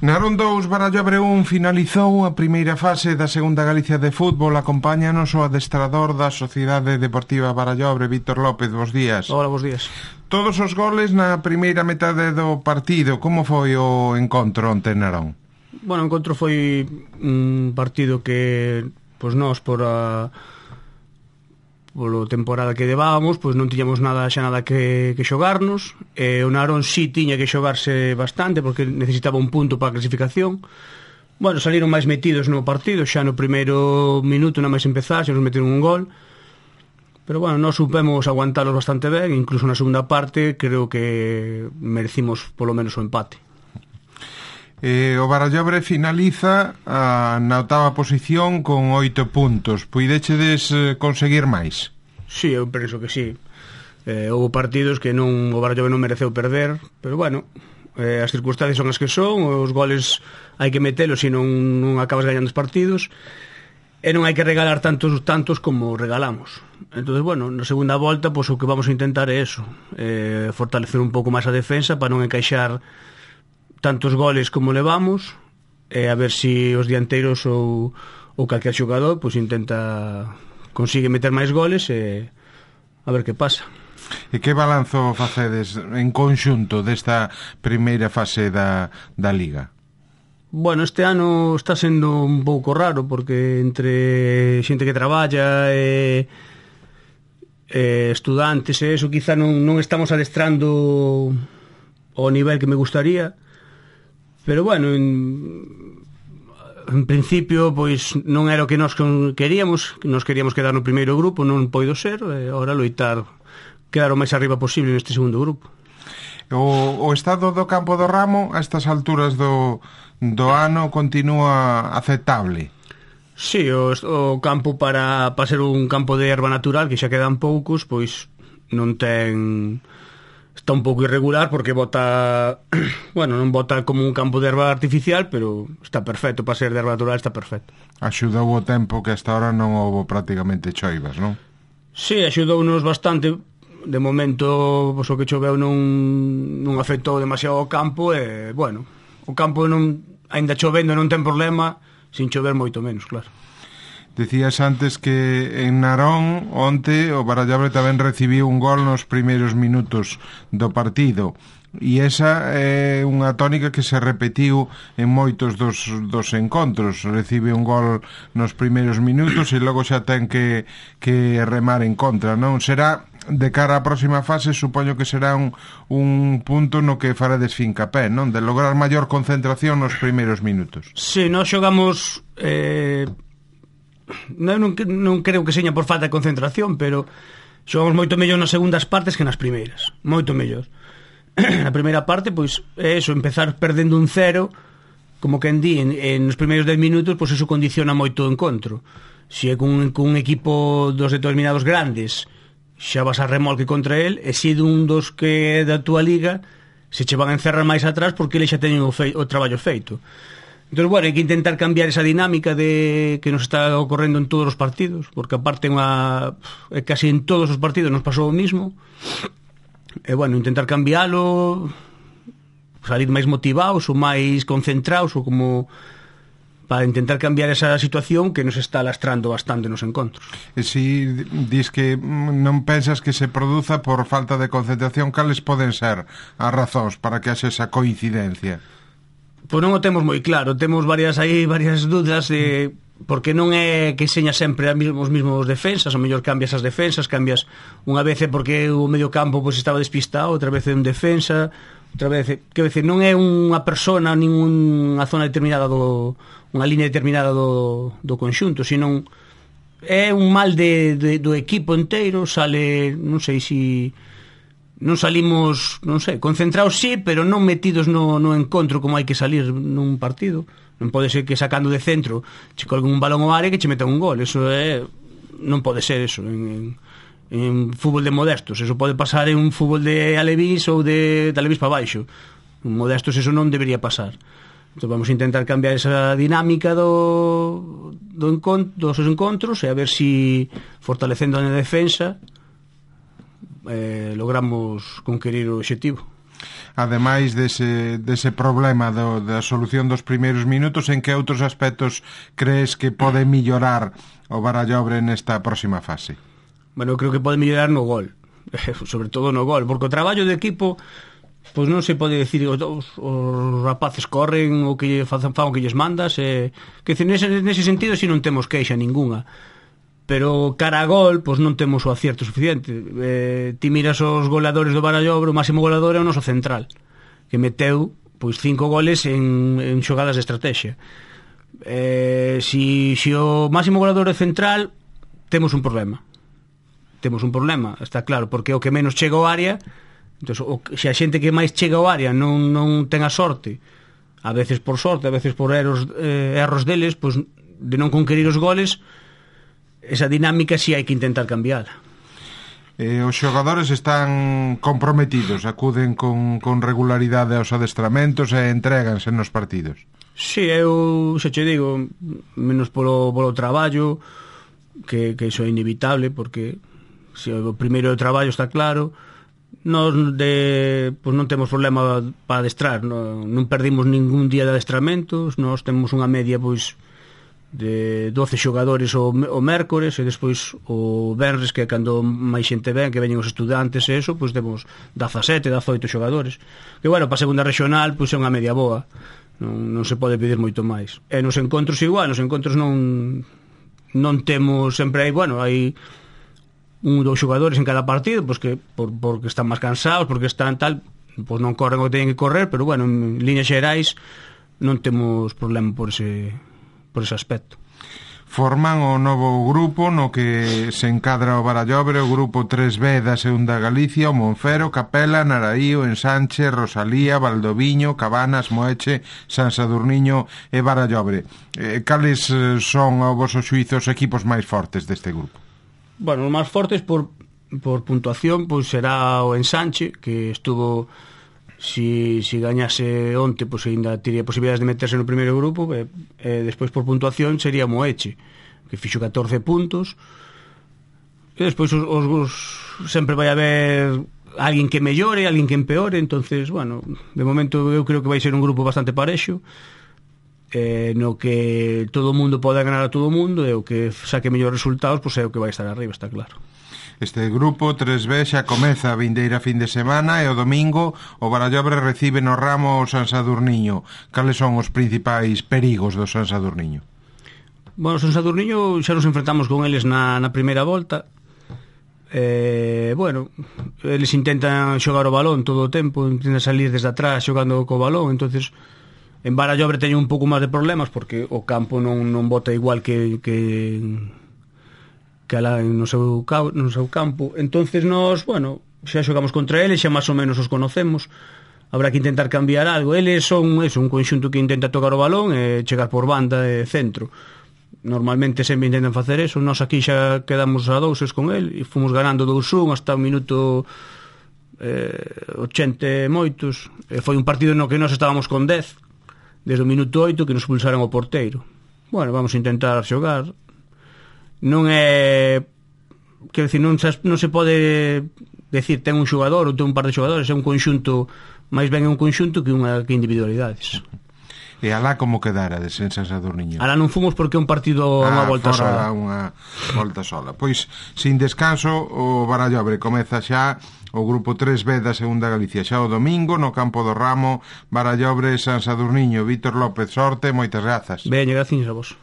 Narón 2, Barallobre 1 finalizou a primeira fase da segunda Galicia de fútbol. Acompáñanos o adestrador da Sociedade Deportiva Barallobre, Víctor López. Bos días. Hola, bos días. Todos os goles na primeira metade do partido. Como foi o encontro onte en Narón? Bueno, o encontro foi un partido que pois nós polo temporada que levábamos, pois non tiñamos nada que xogarnos, e o Narón sí tiña que xogarse bastante porque necesitaba un punto para a clasificación. Bueno, saliron máis metidos no partido, xa no primeiro minuto nada máis empezar, xa nos meteron un gol, pero bueno, nós supemos aguantalos bastante ben, incluso na segunda parte creo que merecimos polo menos o empate. O Barallobre finaliza na octava posición con 8 puntos. Puidechedes conseguir máis? Sí, eu penso que sí. Houve partidos que o Barallobre non mereceu perder, pero bueno, as circunstancias son as que son, os goles hai que metelos, se non acabas gañando os partidos, e non hai que regalar tantos como regalamos. Entonces, bueno, na segunda volta, pois o que vamos a intentar é eso, fortalecer un pouco máis a defensa para non encaixar tantos goles como levamos, e a ver se os dianteiros ou calquer xogador pois consigue meter máis goles, e a ver que pasa. E que balanzo facedes en conxunto desta primeira fase da Liga? Bueno, este ano está sendo un pouco raro porque entre xente que traballa e estudantes e eso, quizá non estamos adestrando ao nivel que me gustaría. Pero bueno, en principio pois non era o que nós queríamos quedar no primeiro grupo, non poido ser, e agora loitar quedar o máis arriba posible neste segundo grupo. O estado do campo do Ramo a estas alturas do ano continúa aceptable? Sí, o campo para ser un campo de erva natural, que xa quedan poucos, pois non ten... Está un pouco irregular porque bota, bueno, non bota como un campo de erva artificial, pero está perfecto, para ser de erva natural está perfecto. Axudou o tempo que hasta ahora non houve prácticamente choivas, non? Sí, axudounos bastante. De momento, pois, o que choveu non afectou demasiado o campo, e, bueno, o campo aínda chovendo non ten problema, sin chover moito menos, claro. Decías antes que en Narón onte o Barallobre tamén recibiu un gol nos primeiros minutos do partido, e esa é unha tónica que se repetiu en moitos dos encontros. Recibe un gol nos primeiros minutos e logo xa ten que remar en contra, non? Será de cara á próxima fase, supoño que será un punto no que farades fincapé, non? De lograr maior concentración nos primeiros minutos. Sí, nós xogamos... Non creo que seña por falta de concentración, pero xogamos moito mellor nas segundas partes que nas primeiras, moito mellor. Na primeira parte, pois é eso, empezar perdendo un 0, como quen di, nos primeiros 10 minutos, pois eso condiciona moito o encontro. Se é cun equipo dos determinados grandes, xa vas a remolque contra el, e se dun dos que é da túa liga, se che van a encerrar máis atrás porque eles xa teñen o traballo feito. Entón, bueno, hai que intentar cambiar esa dinámica que nos está ocorrendo en todos os partidos, porque aparte casi en todos os partidos nos pasou o mismo. E, bueno, intentar cambiálo, salir máis motivados ou máis concentrados, ou como para intentar cambiar esa situación que nos está lastrando bastante nos encontros. E si dis que non pensas que se produza por falta de concentración, cales poden ser as razóns para que haxe esa coincidencia? Pois non o temos moi claro, temos varias dúdas de porque non é que seña sempre os mesmos defensas, ou mellor cambias as defensas, cambias unha vez porque o medio campo pois estaba despistado, outra vez un defensa, outra vez, que decir, non é unha persona nin unha zona determinada unha línea determinada do conxunto, sino é un mal do equipo inteiro. Sale, non sei se non salimos, non sei, concentrados sí, pero non metidos no encontro como hai que salir nun partido. Non pode ser que sacando de centro che colguen un balón ao área que che metan un gol. Eso non pode ser eso en fútbol de modestos. Eso pode pasar en un fútbol de alevís ou de alevís para baixo. En modestos eso non debería pasar. Entón vamos a intentar cambiar esa dinámica dos encontros, e a ver si fortalecendo a defensa logramos conquerir o obxectivo. Ademais dese problema da solución dos primeiros minutos, en que outros aspectos crees que pode mellorar o Barallobre nesta próxima fase? Bueno, eu creo que pode mellorar no gol, sobre todo no gol, porque o traballo de equipo, pois non se pode decir os rapaces corren o que fan o que lles mandas, que nese sentido si non temos queixa ninguna, pero cara a gol pois non temos o acierto suficiente. Ti miras os goleadores do Barallobre, o máximo goleador é o noso central, que meteu pois 5 goles en xogadas de estrategia. Si o máximo goleador é central, temos un problema, está claro, porque o que menos chega ao área. Entón, se a xente que máis chega ao área non ten a sorte, a veces por sorte, a veces por erros deles, pois de non conquerir os goles, esa dinámica si hai que intentar cambiar. Os xogadores están comprometidos, acuden con regularidade aos adestramentos e entréganse nos partidos. Si, eu xa che digo, menos polo traballo, que iso é inevitable, porque se o primeiro traballo está claro, nós pois non temos problema para adestrar, non perdimos ningún día de adestramentos, nós temos unha media pois de 12 xogadores o mércores, e despois o venres, que é cando máis xente ven, que veñen os estudantes e eso, pois temos 17, 18 xogadores, que bueno, para a segunda regional pois é unha media boa, non se pode pedir moito máis. E nos encontros igual, nos encontros non temos, sempre hai, bueno, hai un ou dous xogadores en cada partido, pois que porque están máis cansados, porque están tal, pois non corren o que teñen que correr, pero bueno, en líneas xerais non temos problema por ese aspecto. Forman o novo grupo no que se encadra o Barallobre, o grupo 3B da Segunda Galicia, o Monfero, Capela, Naraío, Ensanche, Rosalía, Valdoviño, Cabanas, Moeche, San Sadurniño e Barallobre. Cales son, ao voso xuízo, os equipos máis fortes deste grupo? Bueno, os máis fortes por puntuación pois será o Ensanche, que estuvo, si gañase onte, pois ainda teria posibilidades de meterse no primeiro grupo, e despois por puntuación sería Moeche, que fixo 14 puntos, e despois os sempre vai haber alguén que mellore, alguén que empeore. Entonces, bueno, de momento eu creo que vai ser un grupo bastante parexo, no que todo o mundo pode ganar a todo o mundo, e o que saque mellores resultados pois é o que vai estar arriba, está claro. Este grupo 3B xa comeza a vindeira fin de semana, e o domingo o Barallobre recibe no Ramo o San Sadurniño. Cales son os principais perigos do San Sadurniño? Bueno, o San Sadurniño xa nos enfrentamos con eles na primeira volta. Bueno, eles intentan xogar o balón todo o tempo, intentan salir desde atrás xogando co balón. Entonces en Barallobre teño un pouco máis de problemas, porque o campo non bota igual que alá no seu campo. Entonces nós, bueno, xa xogamos contra eles, xa máis ou menos os conocemos. Habrá que intentar cambiar algo. Eles son un conxunto que intenta tocar o balón e chegar por banda e centro. Normalmente sempre intentan facer eso. Nós aquí xa quedamos a 2 con el e fomos ganando 2-1 hasta o minuto 80 moitos. Foi un partido no que nós estábamos con 10 desde o minuto 8, que nos expulsaron o porteiro. Bueno, vamos a intentar xogar. Non é, quero dicir, non se pode decir ten un xogador ou ten un par de xogadores, é un conxunto, máis ben é un conxunto que individualidades. E alá como quedara de San Sadurniño? Alá non fomos porque é un partido a unha volta sola. Unha volta sola. Pois, sin descanso, o Barallobre comeza xa o grupo 3B da Segunda Galicia xa o domingo no campo do Ramo. Barallobre, San Sadurniño. Vítor López, sorte, moitas grazas. Veña, gracias a vos.